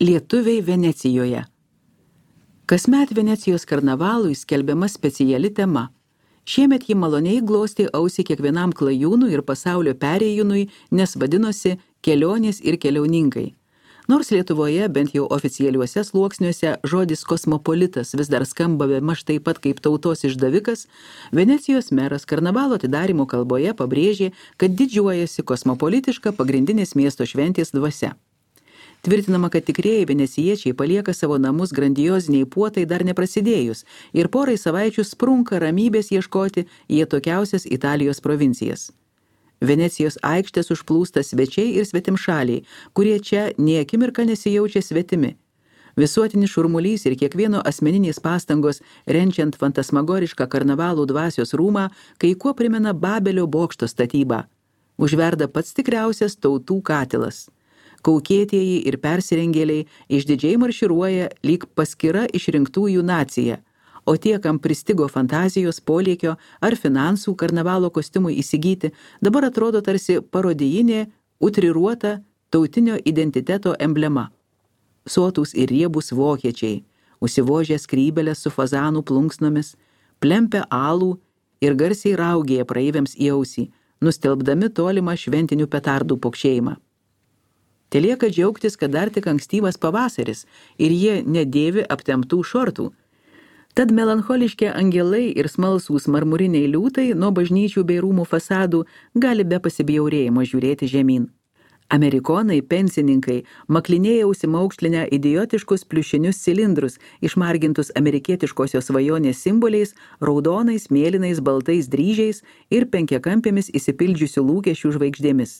Lietuviai Venecijoje. Kasmet Venecijos karnavalui skelbiama speciali tema. Šiemet ji maloniai glostė ausį kiekvienam klajūnui ir pasaulio perėjūnui, nes vadinosi kelionės ir keliauninkai. Nors Lietuvoje, bent jau oficialiuose sluoksniuose, žodis kosmopolitas vis dar skamba bemaž taip pat kaip tautos išdavikas, Venecijos meras karnavalo atidarymo kalboje pabrėžė, kad didžiuojasi kosmopolitiška pagrindinės miesto šventės dvasia. Tvirtinama, kad tikrieji venecijiečiai palieka savo namus grandioziniai puotai dar neprasidėjus ir porai savaičių sprunka ramybės ieškoti į atokiausias Italijos provincijas. Venecijos aikštės užplūsta svečiai ir svetimšaliai, kurie čia nė akimirką nesijaučia svetimi. Visuotinis šurmulys ir kiekvieno asmeninės pastangos renčiant fantasmagorišką karnavalų dvasios rūmą, kai kuo primena Babelio bokšto statybą. Užverda pats tikriausias tautų katilas. Kaukėtieji ir persirengėliai išdidžiai marširuoja lyg paskira išrinktųjų nacija, o tie, kam pristigo fantazijos, polėkio ar finansų karnavalo kostiumui įsigyti, dabar atrodo tarsi parodijinė, utriruota tautinio identiteto emblema. Sotūs ir riebūs vokiečiai, užsivožę skrybelės su fazanų plunksnomis, plempia alų ir garsiai raugėja praeiviams į ausį, nustelbdami tolimą šventinių petardų pokšėjimą. Telieka džiaugtis, kad dar tik ankstyvas pavasaris ir jie nedėvi aptemptų šortų. Tad melancholiški angelai ir smalsūs marmuriniai liūtai nuo bažnyčių bei rūmų fasadų gali be pasibjaurėjimo žiūrėti žemyn. Amerikonai, pensininkai, maklinėja užsimaukštlinę idiotiškus pliušinius cilindrus, išmargintus amerikietiškosios svajonės simboliais, raudonais, mėlynais, baltais dryžiais ir penkiakampėmis įsipildžiusių lūkesčių žvaigždėmis.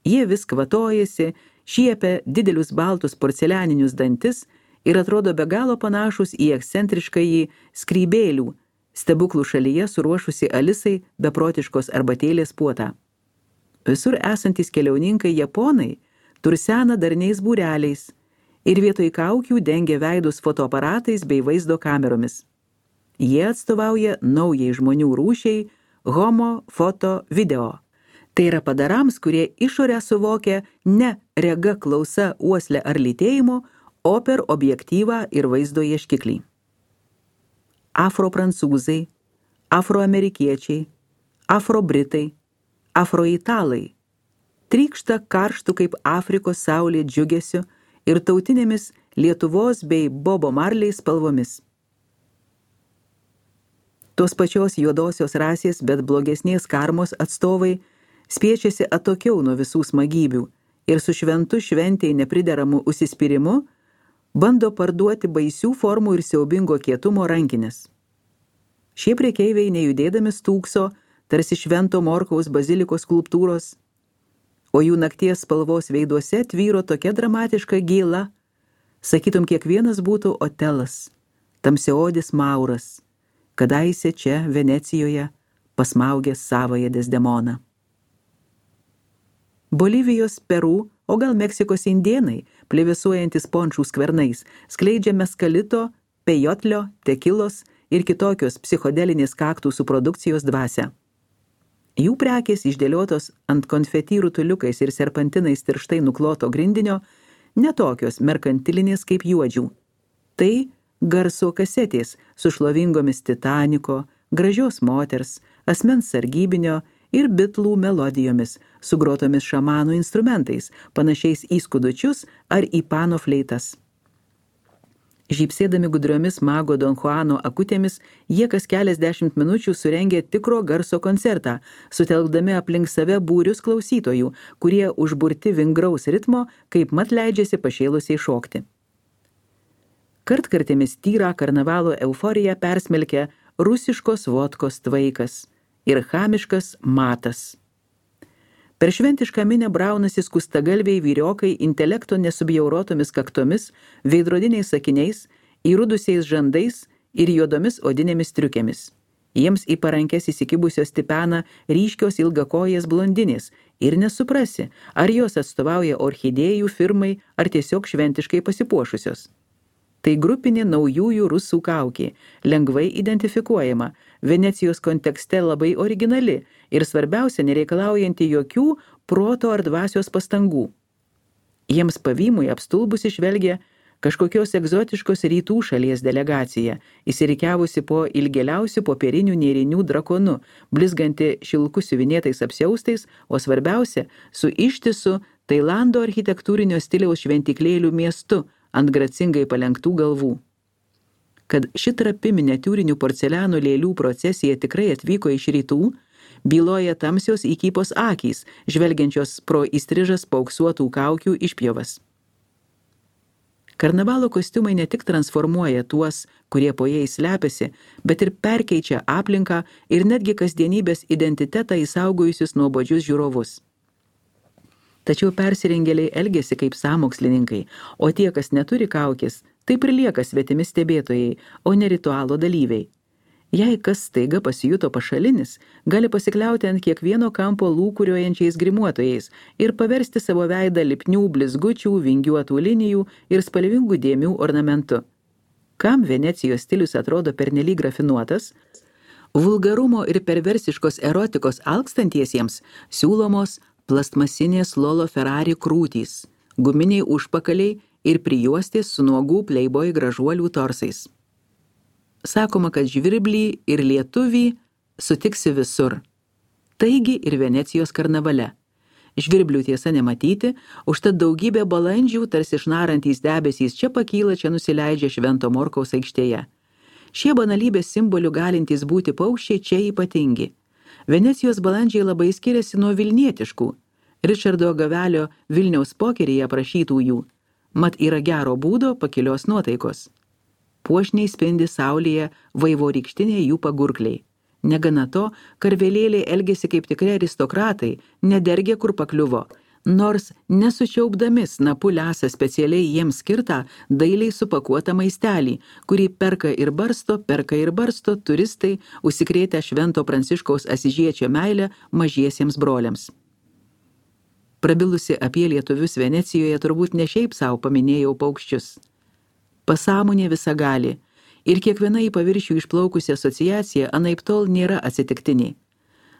Jie vis kvatojasi, šiepia didelius baltus porcelianinius dantis ir atrodo be galo panašus į ekscentriškąjį skrybėlių, stebuklų šalyje suruošusi Alisai beprotiškos arbatėlės puotą. Visur esantys keliauninkai japonai tursena darniais būreliais ir vietoj kaukių dengia veidus fotoaparatais bei vaizdo kameromis. Jie atstovauja naujai žmonių rūšiai homo, foto, video. Tai yra padarams, kurie išorę suvokia ne rega, klausa, uoslė ar lytėjimu, o per objektyvą ir vaizdo ieškiklį. Afroprancūzai, afroamerikiečiai, afrobritai, afroitalai trykšta karštų kaip Afrikos saulė džiugesiu ir tautinėmis Lietuvos bei Bobo Marley spalvomis. Tos pačios juodosios rasės, bet blogesnės karmos atstovai spiečiasi atokiau nuo visų smagybių ir su šventu šventei neprideramu užsispyrimu bando parduoti baisių formų ir siaubingo kietumo rankinės. Šie prekeiviai nejudėdami stūkso, tarsi švento Morkaus bazilikos skulptūros, o jų nakties spalvos veiduose tvyro tokia dramatiška gėla, sakytum kiekvienas būtų Otelas, tamsiaodis Mauras, kadaise čia Venecijoje pasmaugęs savąją Desdemoną. Bolivijos, Peru, o gal Meksikos indėnai, plevėsuojantis pončių skvernais, skleidžia meskalito, pejotlio, tekilos ir kitokios psichodelinės kaktusų produkcijos dvasią. Jų prekės išdėliotos ant konfeti rutuliukais ir serpantinais tirštai nukloto grindinio, netokios merkantilinės kaip juodžių. Tai garso kasetės su šlovingomis Titaniko, gražios moters, asmens sargybinio ir bitlų melodijomis, sugrotomis šamanų instrumentais, panašiais į skudučius ar į pano fleitas. Žypsėdami gudriomis mago Don Juano akutėmis, jie kas keliasdešimt minučių surengė tikro garso koncertą, sutelkdami aplink save būrius klausytojų, kurie užburti vingraus ritmo, kaip mat leidžiasi pašėlusiai šokti. Kartkartėmis tyrą karnavalo euforiją persmelkia rusiškos vodkos tvaikas ir chamiškas matas. Per šventišką minę braunasi skustagalviai vyriokai intelekto nesubjaurotomis kaktomis, veidrodiniais sakiniais, įrudusiais žandais ir juodomis odinėmis triukėmis. Jiems į parankes įsikibusios tipena ryškios ilgakojės blondinės ir nesuprasi, ar jos atstovauja orchidėjų firmai ar tiesiog šventiškai pasipuošusios. Tai grupinė naujųjų rusų kaukė, lengvai identifikuojama, Venecijos kontekste labai originali ir svarbiausia nereikalaujanti jokių proto ar dvasios pastangų. Jiems pavymui apstulbusi žvelgia kažkokios egzotiškos rytų šalies delegacija, įsirikiavusi po ilgėliausių popierinių nėrinių drakonu, blizganti šilku siuvinėtais apsiaustais, o svarbiausia, su ištisu Tailando architektūrinio stiliaus šventiklėlių miestu ant gracingai palenktų galvų. Kad ši trapi miniatiūrinių porceliano lėlių procesija tikrai atvyko iš rytų, byloja tamsios įkypos akys, žvelgiančios pro įstrižas paauksuotų kaukių išpjovas. Karnavalo kostiumai ne tik transformuoja tuos, kurie po jais slepiasi, bet ir perkeičia aplinką ir netgi kasdienybės identitetą įsaugojusius nuobodžius žiūrovus. Tačiau persirengėliai elgiasi kaip sąmokslininkai, o tie, kas neturi kaukės, taip ir lieka svetimi stebėtojai, o ne ritualo dalyviai. Jei kas staiga pasijuto pašalinis, gali pasikliauti ant kiekvieno kampo lūkuriuojančiais grimuotojais ir paversti savo veidą lipnių blizgučių, vingiuotų linijų ir spalvingų dėmių ornamentu. Kam Venecijos stilius atrodo pernelyg rafinuotas, vulgarumo ir perversiškos erotikos alkstantiesiems siūlomos plastmasinės Lolo Ferrari krūtys, guminiai užpakaliai ir prijuostės su nuogų playboy gražuolių torsais. Sakoma, kad žvirblį ir lietuvį sutiksi visur. Taigi ir Venecijos karnavale. Žvirblių tiesa nematyti, užtat daugybė balandžių, tarsi išnarantys debesys, čia pakyla, čia nusileidžia Švento Morkaus aikštėje. Šie banalybės simbolių galintys būti paukščiai čia ypatingi. Venecijos balandžiai labai skiriasi nuo vilnietiškų, Ričardo Gavelio Vilniaus pokeryje aprašytųjų, mat yra gero būdo pakilios nuotaikos. Puošniai spindi saulėje vaivorykštiniai jų pagurkliai. Negana to, karvelėliai elgėsi kaip tikri aristokratai, nedergė kur pakliuvo, nors nesučiaupdami snapu lesa specialiai jiems skirtą dailiai supakuotą maistelį, kurį perka ir barsto turistai, užsikrėtę Švento Pranciškaus Asižiečio meilę mažiesiems broliams. Prabilusi apie lietuvius Venecijoje turbūt ne šiaip savo paminėjau paukščius. Pasąmonė visagali ir kiekviena į paviršių išplaukusi asociacija anaiptol nėra atsitiktiniai.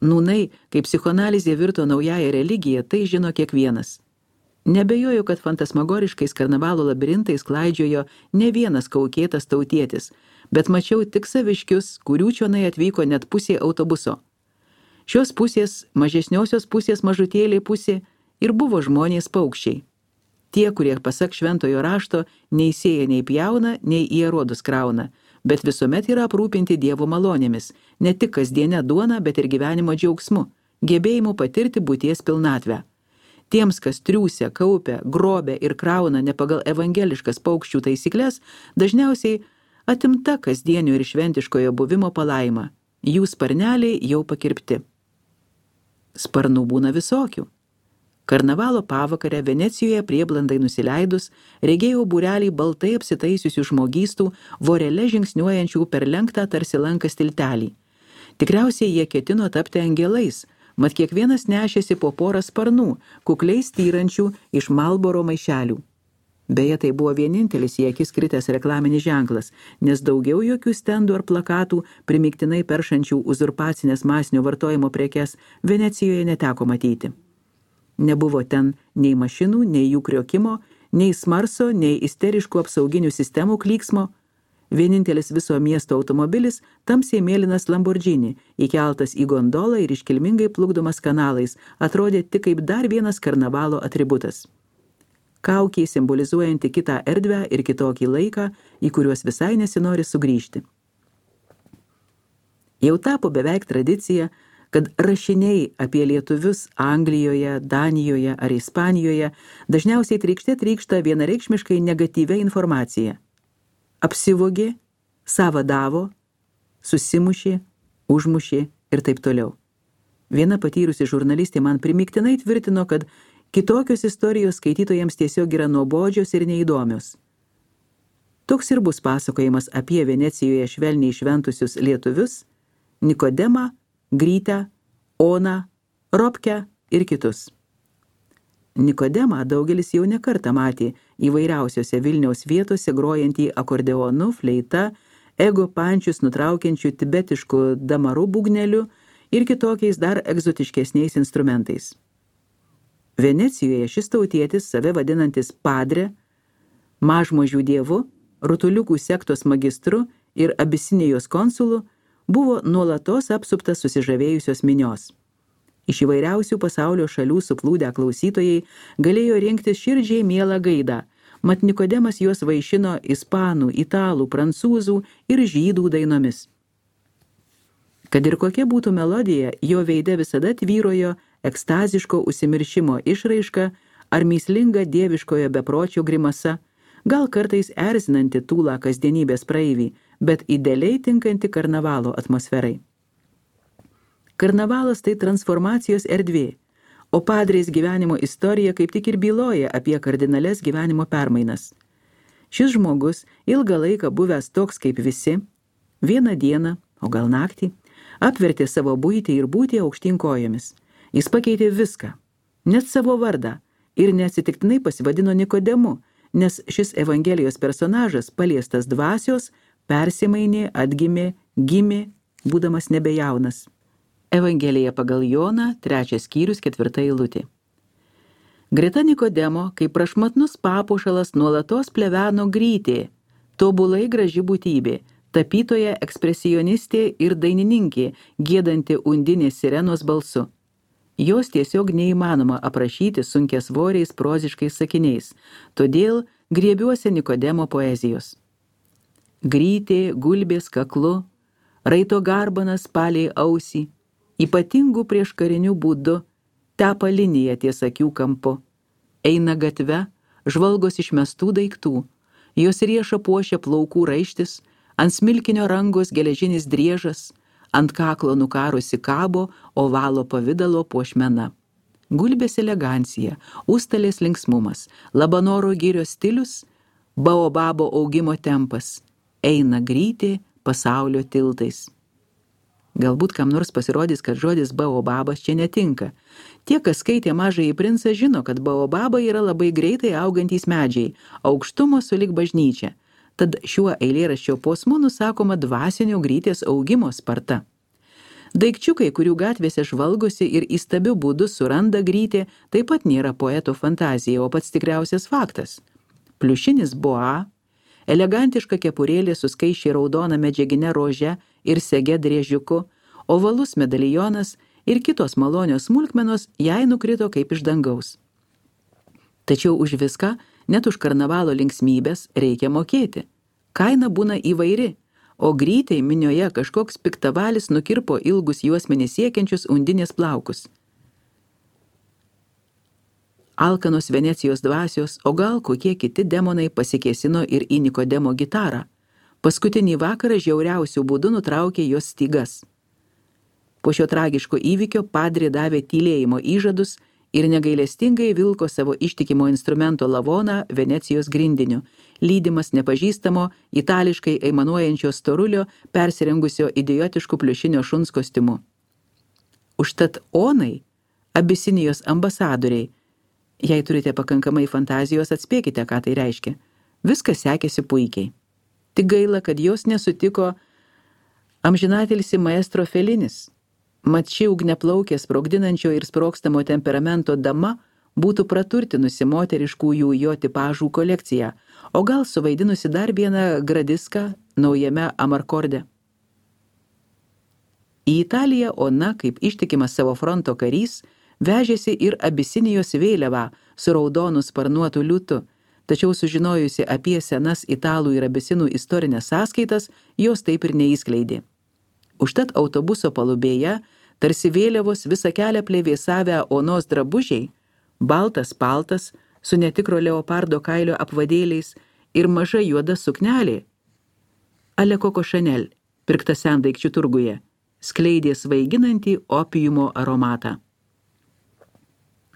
Nūnai, kaip psichoanalizė virto naująją religiją, tai žino kiekvienas. Nebejoju, kad fantasmagoriškais karnavalo labirintais klaidžiojo ne vienas kaukėtas tautietis, bet mačiau tik saviškius, kurių čionai atvyko net pusė autobuso. Šios pusės, mažesniosios pusės mažutėlė pusė ir buvo žmonės paukščiai. Tie, kurie pasak šventojo rašto, nei sėja, nei pjauna, nei į arodus krauna, bet visuomet yra aprūpinti Dievo malonėmis, ne tik kasdienę duoną, bet ir gyvenimo džiaugsmu, gebėjimu patirti būties pilnatvę. Tiems, kas triūsia, kaupia, grobia ir krauna ne pagal evangeliškas paukščių taisyklės, dažniausiai atimta kasdienio ir šventiškojo buvimo palaima. Jų sparneliai jau pakirpti. Sparnų būna visokių. Karnavalo pavakarę Venecijoje prieblandai nusileidus, regėjau būrelį baltai apsitaisiusių žmogystų, vorele žingsniuojančių per lenktą tarsi lankas tiltelį. Tikriausiai jie ketino tapti angelais, mat kiekvienas nešėsi po porą sparnų, kukliai styrančių iš Marlboro maišelių. Beje, tai buvo vienintelis į akis kritęs reklaminis ženklas, nes daugiau jokių stendų ar plakatų, primygtinai peršančių uzurpacinės masinio vartojimo prekes, Venecijoje neteko matyti. Nebuvo ten nei mašinų, nei jų kriokimo, nei smarso, nei isteriškų apsauginių sistemų klyksmo. Vienintelis viso miesto automobilis tamsiai mėlynas Lamborghini, įkeltas į gondolą ir iškilmingai plukdomas kanalais, atrodė tik kaip dar vienas karnavalo atributas. Kaukė simbolizuojanti kitą erdvę ir kitokį laiką, į kuriuos visai nesinori sugrįžti. Jau tapo beveik tradicija, kad rašiniai apie lietuvius Anglijoje, Danijoje ar Ispanijoje dažniausiai trykšta vienareikšmiškai negatyvia informacija. Apsivogė, savadavo, susimušė, užmušė ir taip toliau. Viena patyrusi žurnalistė man primygtinai tvirtino, kad kitokios istorijos skaitytojams tiesiog yra nuobodžios ir neįdomios. Toks ir bus pasakojimas apie Venecijoje švelniai šventusius lietuvius, Nikodemą, Grytę, Oną, Robkę ir kitus. Nikodemą daugelis jau ne kartą matė įvairiausiose Vilniaus vietose grojantį akordeonu, fleita, ego pančius nutraukiančių tibetiškų damarų būgnelių ir kitokiais dar egzotiškesniais instrumentais. Venecijoje šis tautietis, save vadinantis padre, mažmožių dievu, rutuliukų sektos magistru ir Abisinijos konsulu, buvo nuolatos apsuptas susižavėjusios minios. Iš įvairiausių pasaulio šalių suplūdę klausytojai galėjo rinktis širdžiai mielą gaidą, mat Nikodemas juos vaišino ispanų, italų, prancūzų ir žydų dainomis. Kad ir kokia būtų melodija, jo veide visada tvyrojo ekstaziško užsimiršimo išraiška ar mįslinga dieviškojo bepročio grimasa, gal kartais erzinanti tūlą kasdienybės praeivį, bet idealiai tinkanti karnavalo atmosferai. Karnavalas tai transformacijos erdvė, o padrės gyvenimo istorija kaip tik ir byloja apie kardinales gyvenimo permainas. Šis žmogus, ilgą laiką buvęs toks kaip visi, vieną dieną, o gal naktį, apvertė savo buitį ir būtį aukštyn kojomis. Jis pakeitė viską, net savo vardą, ir neatsitiktinai pasivadino Nikodemu, nes šis Evangelijos personažas, paliestas dvasios, persimainė, atgimė, gimė, būdamas nebejaunas. Evangelija pagal Joną, 3 skyrius, 4 eilutė. Greta Nikodemo, kaip prašmatnus papuošalas, nuolatos pleveno Grytė, tobulai graži būtybė, tapytoja ekspresionistė ir dainininkė, giedanti Undinės sirenos balsu. Jos tiesiog neįmanoma aprašyti sunkiasvoriais proziškais sakiniais, todėl griebiuosi Nikodemo poezijos. Grytė gulbės kaklu, raito garbanas palei ausį, ypatingų prieškarinių būdų, tepa liniją ties akių kampu. Eina gatve, žvalgos išmestų daiktų, jos riešą puošia plaukų raištis, ant smilkinio rangos geležinis driežas, ant kaklo nukarusi kabo ovalo pavidalo puošmena. Gulbės elegancija, užstalės linksmumas, Labanoro girios stilius, baobabo augimo tempas, eina Grytė pasaulio tiltais. Galbūt kam nors pasirodys, kad žodis baobabas čia netinka. Tie, kas skaitė Mažąjį princą, žino, kad baobabai yra labai greitai augantys medžiai, aukštumo sulig bažnyčia. Tad šiuo eilėraščio posmu nusakoma dvasinio Grytės augimo sparta. Daikčiukai, kurių gatvėse žvalgosi ir įstabiu būdu suranda Grytė, taip pat nėra poeto fantazija, o pats tikriausias faktas. Pliušinis boa, elegantiška kepurėlė su skaisčiai raudona medžiagine rože ir sege driežiuku, ovalus medalionas ir kitos malonios smulkmenos jai nukrito kaip iš dangaus. Tačiau už viską, net už karnavalo linksmybės, reikia mokėti. Kaina būna įvairi, o Grytei minioje kažkoks piktavalis nukirpo ilgus juosmenį siekiančius Undinės plaukus. Alkanos Venecijos dvasios, o gal kokie kiti demonai pasikėsino ir į Nikodemo gitarą. Paskutinį vakarą žiauriausių būdų nutraukė jos stygas. Po šio tragiško įvykio padrė davė tylėjimo įžadus ir negailestingai vilko savo ištikimo instrumento lavoną Venecijos grindiniu, lydimas nepažįstamo, itališkai aimanuojančio storulio, persirengusio idiotišku pliušinio šuns kostiumu. Užtat onai, Abisinijos ambasadoriai, jei turite pakankamai fantazijos, atspėkite, ką tai reiškia. Viskas sekėsi puikiai. Tik gaila, kad jos nesutiko amžinatilsi maestro Felinis. Mat ši ugneplaukė sprogdinančio ir sprogstamo temperamento dama būtų praturtinusi moteriškųjų jo tipažų kolekciją, o gal suvaidinusi dar vieną gradiską naujame Amarkorde. Į Italiją Ona, kaip ištikimas savo fronto karys, vežėsi ir Abisinijos vėliavą su raudonu sparnuotu liūtu, tačiau sužinojusi apie senas italų ir abisinų istorinės sąskaitas, jos taip ir neįskleidė. Užtat autobuso palubėje, tarsi vėliavos visą kelią plevėsavę Onos drabužiai, baltas paltas su netikro leopardo kailio apvadėliais ir maža juoda suknelė, ale Coco Chanel, pirkta sendaikčių turguje, skleidė svaiginantį opiumo aromatą.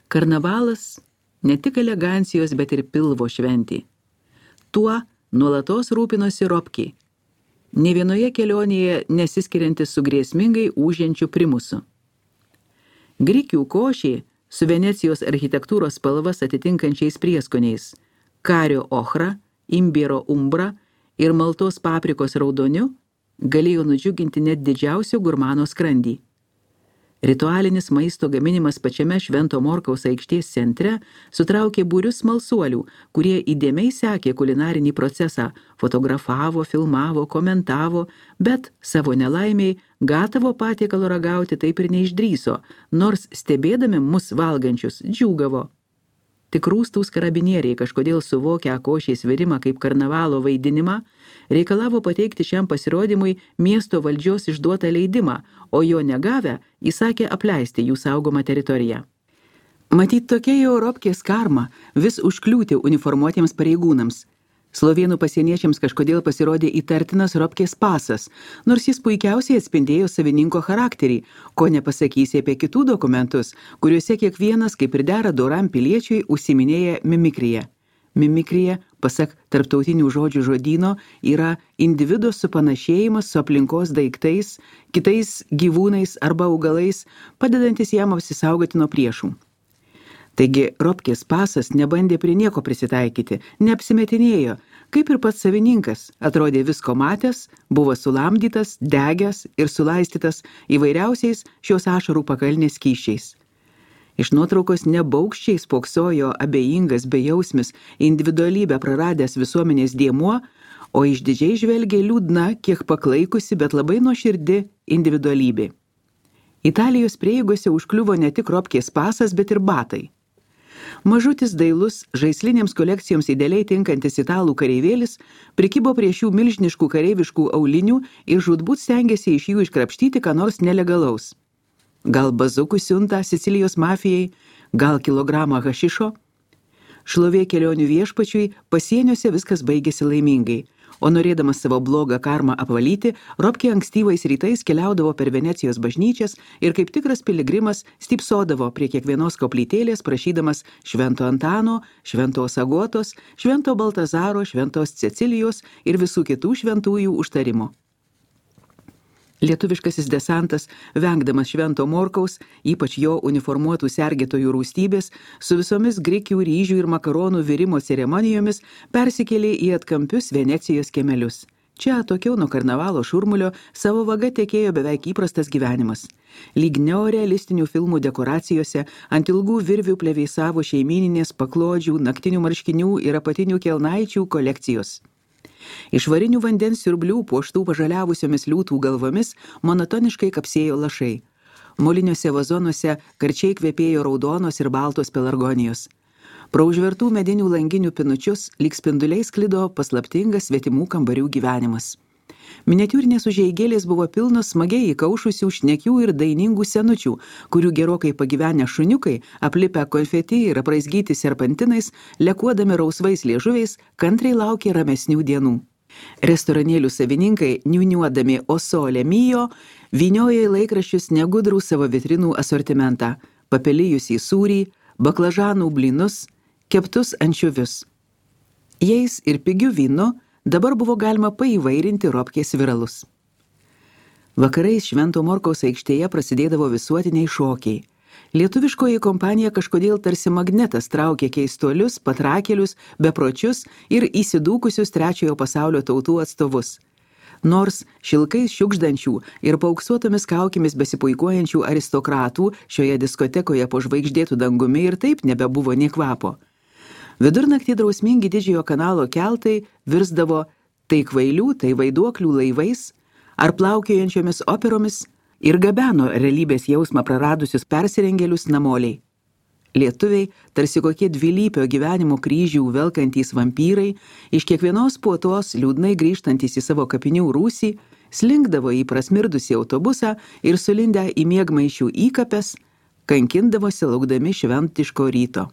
Karnavalas ne tik elegancijos, bet ir pilvo šventė. Tuo nuolatos rūpinosi Ropkė, ne vienoje kelionėje nesiskiriantis su grėsmingai ūžiančiu primusu. Grikių košė su Venecijos architektūros spalvas atitinkančiais prieskoniais, kario ochra, imbiero umbra ir maltos paprikos raudoniu galėjo nudžiuginti net didžiausio gurmano skrandį. Ritualinis maisto gaminimas pačiame Švento Morkaus aikštės centre sutraukė būrius smalsuolių, kurie įdėmiai sekė kulinarinį procesą, fotografavo, filmavo, komentavo, bet savo nelaimiai gatavo patiekalo ragauti taip ir neišdryso, nors stebėdami mus valgančius džiūgavo. Tik rūstūs karabinieriai, kažkodėl suvokę košės virimą kaip karnavalo vaidinimą, reikalavo pateikti šiam pasirodymui miesto valdžios išduotą leidimą, o jo negavę įsakė apleisti jų saugomą teritoriją. Matyt, tokia jau Ropkės karma vis užkliūti uniformuotiems pareigūnams. Slovėnų pasieniečiams kažkodėl pasirodė įtartinas Ropkės pasas, nors jis puikiausiai atspindėjo savininko charakterį, ko nepasakysi apie kitų dokumentus, kuriuose kiekvienas, kaip ir dera doram piliečiui, užsiminėja mimikrija. Mimikrija, pasak tarptautinių žodžių žodyno, yra individo supanašėjimas su aplinkos daiktais, kitais gyvūnais arba augalais, padedantis jam apsisaugoti nuo priešų. Taigi Ropkės pasas nebandė prie nieko prisitaikyti, neapsimetinėjo, kaip ir pats savininkas, atrodė visko matęs, buvo sulamdytas, degęs ir sulaistytas įvairiausiais šios ašarų pakalnės skysčiais. Iš nuotraukos nebaugščiai spoksojo abejingas bejausmis individualybę praradęs visuomenės dėmuo, o išdidžiai žvelgė liūdna, kiek paklaikusi, bet labai nuoširdi individualybė. Italijos prieigose užkliuvo ne tik Ropkės pasas, bet ir batai. Mažutis dailus, žaislinėms kolekcijoms idealiai tinkantis italų kareivėlis prikibo prie šių milžiniškų kareiviškų aulinių ir žūtbūt stengėsi iš jų iškrapštyti ką nors nelegalaus. Gal bazukų siuntą Sicilijos mafijai, gal kilogramą hašišo? Šlovė kelionių viešpačiui pasieniuose viskas baigėsi laimingai, o norėdamas savo blogą karmą apvalyti, Ropkė ankstyvais rytais keliaudavo per Venecijos bažnyčias ir kaip tikras piligrimas stypsodavo prie kiekvienos koplytėlės, prašydamas Švento Antano, Šventos Agotos, Švento Baltazaro, Šventos Cecilijos ir visų kitų šventųjų užtarimo. Lietuviškasis desantas, vengdamas Švento Morkaus, ypač jo uniformuotų sergėtojų rūstybės, su visomis grikių, ryžių ir makaronų virimo ceremonijomis persikėlė į atkampius Venecijos kiemelius. Čia, atokiau nuo karnavalo šurmulio, savo vaga tekėjo beveik įprastas gyvenimas. Lyg neorealistinių filmų dekoracijose ant ilgų virvių plevėsavo šeimyninės paklodžių, naktinių marškinių ir apatinių kelnaičių kolekcijos. Iš varinių vandens siurblių puoštų pažaliavusiomis liūtų galvomis monotoniškai kapsėjo lašai. Moliniuose vazonuose karčiai kvepėjo raudonos ir baltos pelargonijos. Pro užvertų medinių langinių pinučius lyg spinduliai sklido paslaptingas svetimų kambarių gyvenimas. Miniatiūrinės užeigėlės buvo pilnos smagiai įkaušusių šnekių ir dainingų senučių, kurių gerokai pagyvenę šuniukai, aplipę konfeti ir apraizgyti serpantinais, lekuodami rausvais liežuviais, kantriai laukė ramesnių dienų. Restoranėlių savininkai, niuniuodami O Sole Mio, vyniojo į laikraščius negudrų savo vitrinų asortimentą, papelijusį sūrį, baklažanų blynus, keptus ančiuvius. Jais ir pigių vynu dabar buvo galima paįvairinti Ropkės viralus. Vakarais Švento Morkaus aikštėje prasidėdavo visuotiniai šokiai. Lietuviškoji kompanija kažkodėl tarsi magnetas traukė keistuolius, patrakėlius, bepročius ir įsidūkusius trečiojo pasaulio tautų atstovus. Nors šilkais šiukšdančių ir paauksuotomis kaukimis besipuikuojančių aristokratų šioje diskotekoje po žvaigždėtų dangumi ir taip nebebuvo nė kvapo. Vidurnaktį drausmingi didžiojo kanalo keltai virsdavo tai kvailių, tai vaiduoklių laivais ar plaukiojančiomis operomis ir gabeno realybės jausmą praradusius persirengėlius namoliai. Lietuviai, tarsi kokie dvilypio gyvenimo kryžių velkantys vampyrai, iš kiekvienos puotos liūdnai grįžtantys į savo kapinių rūsį, slinkdavo į prasmirdusį autobusą ir sulindę į miegmaišių įkapes, kankindavosi laukdami šventiško ryto.